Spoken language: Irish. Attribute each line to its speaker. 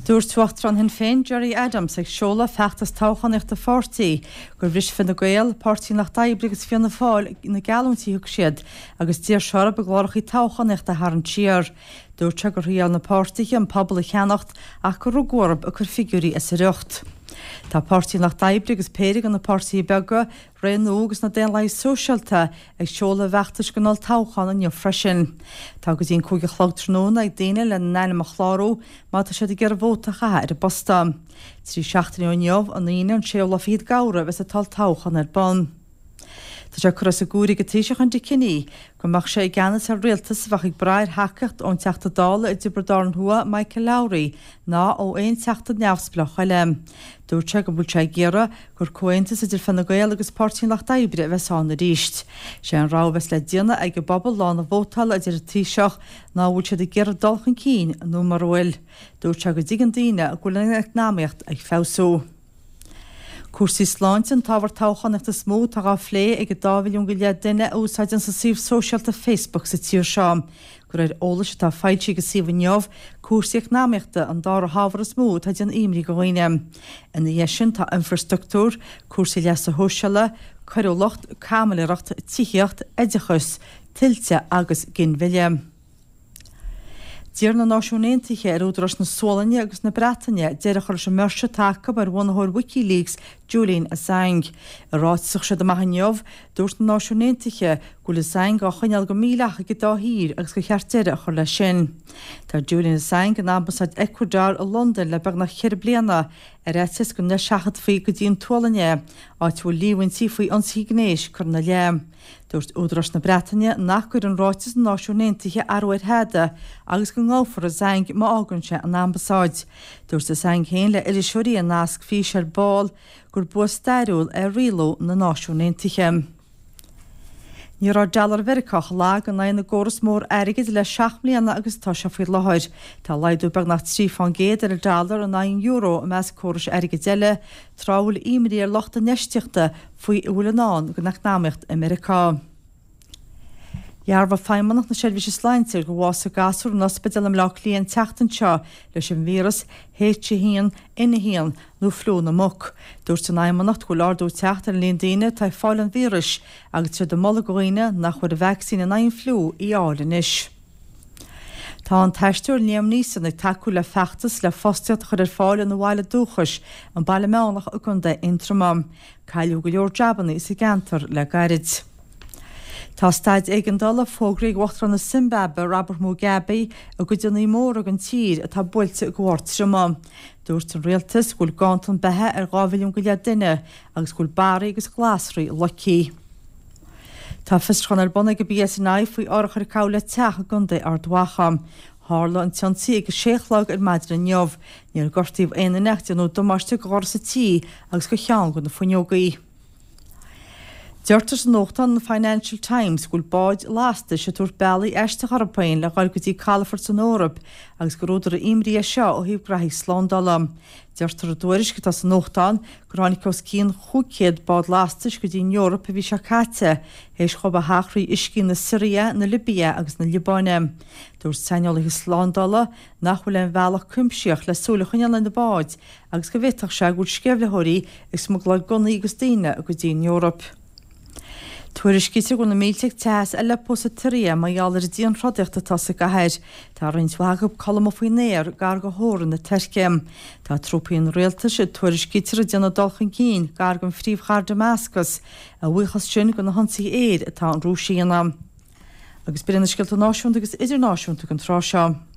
Speaker 1: Dúirt Uachtarán Shinn Féin, Gerry Adams, ag seoladh feachtas toghchánaíochta a pháirtí, gur bhris Fine Gael, Páirtí an Lucht Oibre agus Fianna Fáil na geallúintí a thug siad agus d'iarr sé orthu a gcláracha toghchánaíochta a tharraingt siar. Dúirt sé gur thriail na páirtithe an pobal a cheannacht ach gur rugadh orthu ag cur figiúirí as a riocht. Tá Páirtí an Lucht Oibre agus péire de na páirtithe beaga, Ré Nua agus na Daonlathaigh Sóisialta ag seoladh a bhfeachtais don olltoghchán inniu freisin. Tá go dtí an 5 a chlog tráthnóna ag daoine lena n-ainm a chlárú má tá siad ag iarraidh vóta a chaitheamh ar an bposta. 3 seachtaine ó inniu, an Aoine an séú lá fichead d'Fheabhra a bheas an t-olltoghchán ar bun. Tá sé curtha os a gcomhair ag an Taoiseach Enda Kenny go mbeadh sé i gceannas ar rialtas a bheadh ag brath ar thacaíocht ón Teachta Dála i dTiobraid Árann Thuaidh Michael Lowry ná ó aon Teachta neamhspleách eile. Dúirt sé go bhfuil sé ag iarraidh gur comhaontas idir Fine Gael agus Páirtí an Lucht Oibre a bheas ann arís. Sé an rogha a bheas le déanamh ag an bpobal lá na vótála, a deir an Taoiseach, ná an bhfuil siad ag iarraidh dul chun cinn nó mura bhfuil. Dúirt sé go dtuigeann daoine go bhfuil an eacnamaíocht ag feabhsú. Cúrsaí sláinte an t-ábhar toghchánaíochta is mó atá á phlé ag an dá mhilliún go leith duine a úsáideann an suíomh sóisialta Facebook sa tír seo. De réir eolais atá foilsithe ag an suíomh inniu, cúrsaí eacnamaíochta an dara hábhar is mó atá ag déanamh imní do dhaoine. Ina dhiaidh sin tá infreastruchtúr, cúrsaí leasa shóisialaigh, coiriúlacht, caimiléireacht, tithíocht, oideachas, tuilte agus ginmhilleadh. D'iarr na Náisiúin Aontaithe ar údaráis na Sualainne agus na Breataine deireadh a chur leis an mbiorse atá acu ar bhunaitheoir WikiLeaks, Julian Assange. I ráiteas a chuir siad amach inniu, dúirt na Náisiúin Aontaithe go bhfuil Assange á choinneáil go mídhleathach ag an dá thír agus gur cheart deireadh a chur leis sin. Tá Julian Assange in Ambasáid Ecuador i Londain le beagnach cheithre bliana, ar fhaitíos go n-eiseachadfaí go dtí an tSualainn é, áit a bhfuil líomhaintí faoi ionsaithe gnéis curtha ina leith. Dúirt údaráis na Breataine nach gcuireann ráiteas na Náisiún Aontaithe athrú ar thada agus go ngabhfar Assange má fhágann sé an ambasáid. Dúirt Assange féin le iriseoirí i nasc físe ar ball gur bua stairiúil é rialú na Náisiún Aontaithe. Ní raibh dollar Mheiriceá chomh lag in aghaidh na gcóras mór airgid le 7 mbliana agus atá sé faoi láthair. Tá laghdú beagnach 3 fán gcéad ar an dollar in aghaidh an euro i measc córais airgid eile, tráth a bhfuil imní ar lucht infheistíochta faoi a bhfuil i ndán don eacnamaíocht i Meiriceá. Dhearbhaigh Feidhmeannacht na Seirbhíse Sláinte gur bhásaigh gasúr in ospidéal i mBleá Cliath an tseachtain seo leis an víreas H1N1 nó fliú na muc. Dúirt an Fheidhmeannacht go bhfuil ardú ag teacht ar an líon daoine atá ag fáil an víris agus tá siad ag moladh do dhaoine nach bhfuair an vacsaín in aghaidh an fliú í a fháil anois. Tá an t-aisteoir Liam Neeson ag tacú le feachtas le fostaíocht a chur ar fáil ina bhaile dúchais, an Baile Meánach i gContae Aontroma. Cailleadh go leor jabannaí sa gceantar le gairid. Tá staid éigeandála fógraithe ag Uachtarán na Simbaibe, Robert Mugabe, i gcuideanna móra den tír atá buailte de bharr triomaigh. Dúirt an rialtas go bhfuil ganntan beatha ar 2 mhilliún go leith duine agus go bhfuil barraí agus glasraí loicthe. Tá fiosrúchán ar bun ag an PSNI faoi árachóir a gabhadh le teach i gContae Ard Mhacha. Tharla an t-ionsaí ag a sé a chlog ar maidin inniu. Níor gortaíodh aon duine ach déanadh damáiste do dhoras an tí agus do cheann de na fuinneogaí. Deirtear sa nuachtán an Financial Times go bhfuil báid lastais ag tabhairt bealaí aisteacha orthu féin le dhul go dtí calafort san Eoraip agus gur údar imní é seo ó thaobh graithí slándála. Deirtear i dtuairisc atá sa nuachtán gur tháinig os cionn 500 bád lastais go dtí an Eoraip an mhí seo caite, théis dhóibh a theacht thrí uiscí na Siria, na Libia agus na Liobáine. Dúirt saineolaithe slándála nach bhfuil aon bhealach cuimsitheach le súil a choinneáil ar na báid agus go bhféadfadh sé go bhfuil sceimhlitheoirí ag smugláil gunnaí agus daoine go dtí an Eoraip. Tuairiscítear go bhfuil na mílte ag teitheadh as Aleppo sa tSiria mar gheall ar an dianthrodaíocht atá sa gcathair. Tá roinnt mhaith acu ag codladh amuigh faoin aer gar do theorainn na Tuirce. Tá trúpaí an rialtais, tuairiscítear, ag déanamh dul chun cinn gar don phríomhchathair Damascus, a bhuíochas sin do na hionsaithe aeir atá an Rúis a dhéanamh. Agus b'in iad na scéalta náisiúnta agus idirnáisiúnta don tráth seo.